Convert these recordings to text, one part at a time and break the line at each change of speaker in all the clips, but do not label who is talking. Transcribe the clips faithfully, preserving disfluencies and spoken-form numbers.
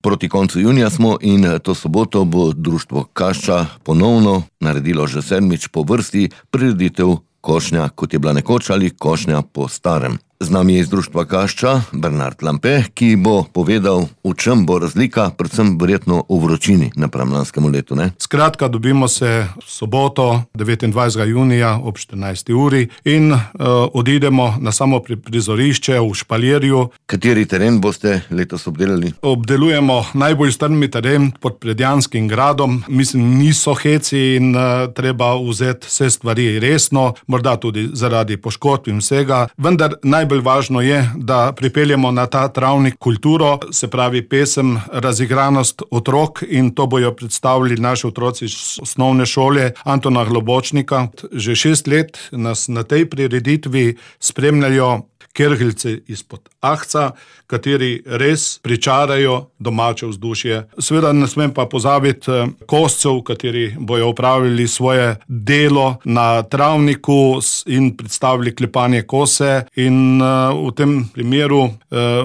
Proti koncu junija smo in to soboto bo društvo Kašča ponovno naredilo že sedmič po vrsti prireditev košnja, kot je bila nekoč, ali košnja po starem. Z nami je iz društva Kašča Bernard Lampe, ki bo povedal, v čem bo razlika, predvsem verjetno v vročini napram lanskemu letu, ne?
Skratka, dobimo se soboto, devetindvajsetega junija ob štirinajsti uri in uh, odidemo na samo prizorišče v Špaljerju.
Kateri teren boste letos obdelali?
Obdelujemo najbolj strmi teren pod Predjanskim gradom. Mislim, niso heci in uh, treba vzeti vse stvari resno, morda tudi zaradi poškodb in vsega, vendar najbolj Najbolj važno je, da pripeljemo na ta travnik kulturo, se pravi pesem, razigranost otrok, in to bojo predstavili naši otroci iz osnovne šole Antona Globočnika. Že šest let nas na tej prireditvi spremljajo kergeljci izpod Ahca, kateri res pričarajo domače vzdušje. Seveda ne smem pa pozabiti koscev, kateri bojo opravili svoje delo na travniku in predstavili klepanje kose. In uh, v tem primeru uh,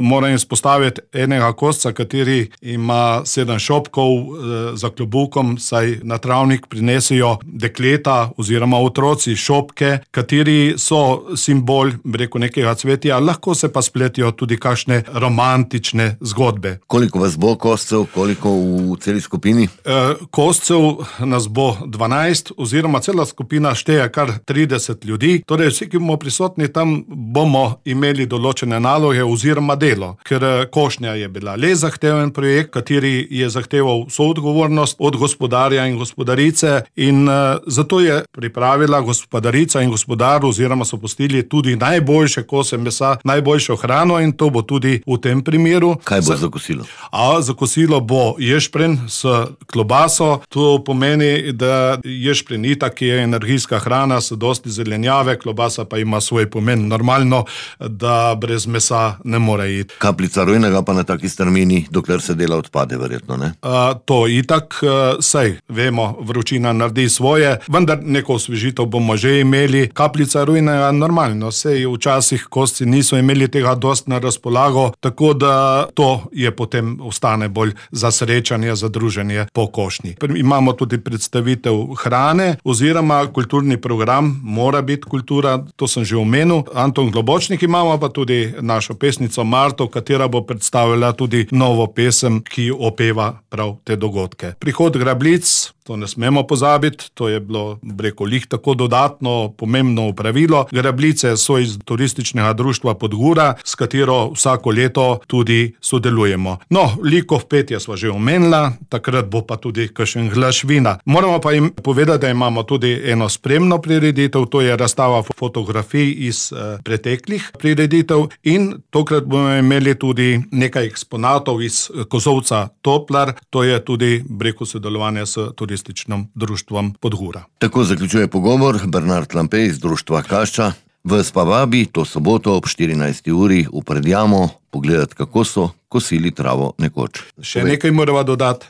moram izpostaviti enega kosca, kateri ima sedem šopkov uh, za klobukom, saj na travnik prinesejo dekleta oziroma otroci šopke, kateri so simbol, bi rekel, nekega cvetja, lahko se pa spletijo tudi kakšne romantične zgodbe.
Koliko vas bo koscev, koliko v celi skupini?
E, koscev nas bo dvanajst, oziroma cela skupina šteje kar trideset ljudi. Torej vsi, ki bomo prisotni tam, bomo imeli določene naloge oziroma delo. Ker košnja je bila le zahteven projekt, kateri je zahteval vso odgovornost od gospodarja in gospodarice, in uh, zato je pripravila gospodarica in gospodar, oziroma so pustili tudi najboljše kose mesa, najboljšo hrano, in to bo tudi v tem primeru.
Kaj bo za kosilo?
A, za kosilo bo ješprenj s klobaso. To pomeni, da ješprenj itak je energijska hrana s dosti zelenjave, klobasa pa ima svoj pomen. Normalno, da brez mesa ne more iti.
Kapljica rujnega pa na taki strmini, dokler se dela odpade, verjetno, ne?
A, to itak, sej, vemo, vročina naredi svoje, vendar neko osvežitev bomo že imeli. Kapljica rujnega, normalno, sej včasih kosci niso imeli tega dost na razpolago, tako da to je potem ostane bolj za srečanje, za druženje po košnji. Imamo tudi predstavitev hrane oziroma kulturni program, mora biti kultura, to sem že omenil. Anton Globočnik, imamo pa tudi našo pesnico Marto, katera bo predstavila tudi novo pesem, ki opeva prav te dogodke. Prihod grabljic, to ne smemo pozabiti, to je bilo, breko, lih tako dodatno pomembno pravilo. Grabljice so iz turističnega društva Podgura, s katero vsako leto tudi sodelujemo. No, likov petje sva že omenila, takrat bo pa tudi kakšen glaš vina. Moramo pa jim povedati, da imamo tudi eno spremno prireditev, to je razstava fotografij iz eh, preteklih prireditev, in tokrat bomo imeli tudi nekaj eksponatov iz kozolca Toplar, to je tudi, breko, sodelovanje s turističnim društvom Podgura.
Tako zaključuje pogovor Bernard Lampe iz društva Kašča. Vas pa vabi to soboto ob štirinajsti uri v Predjamo pogledati, kako so kosili travo nekoč.
Še nekaj morava dodati.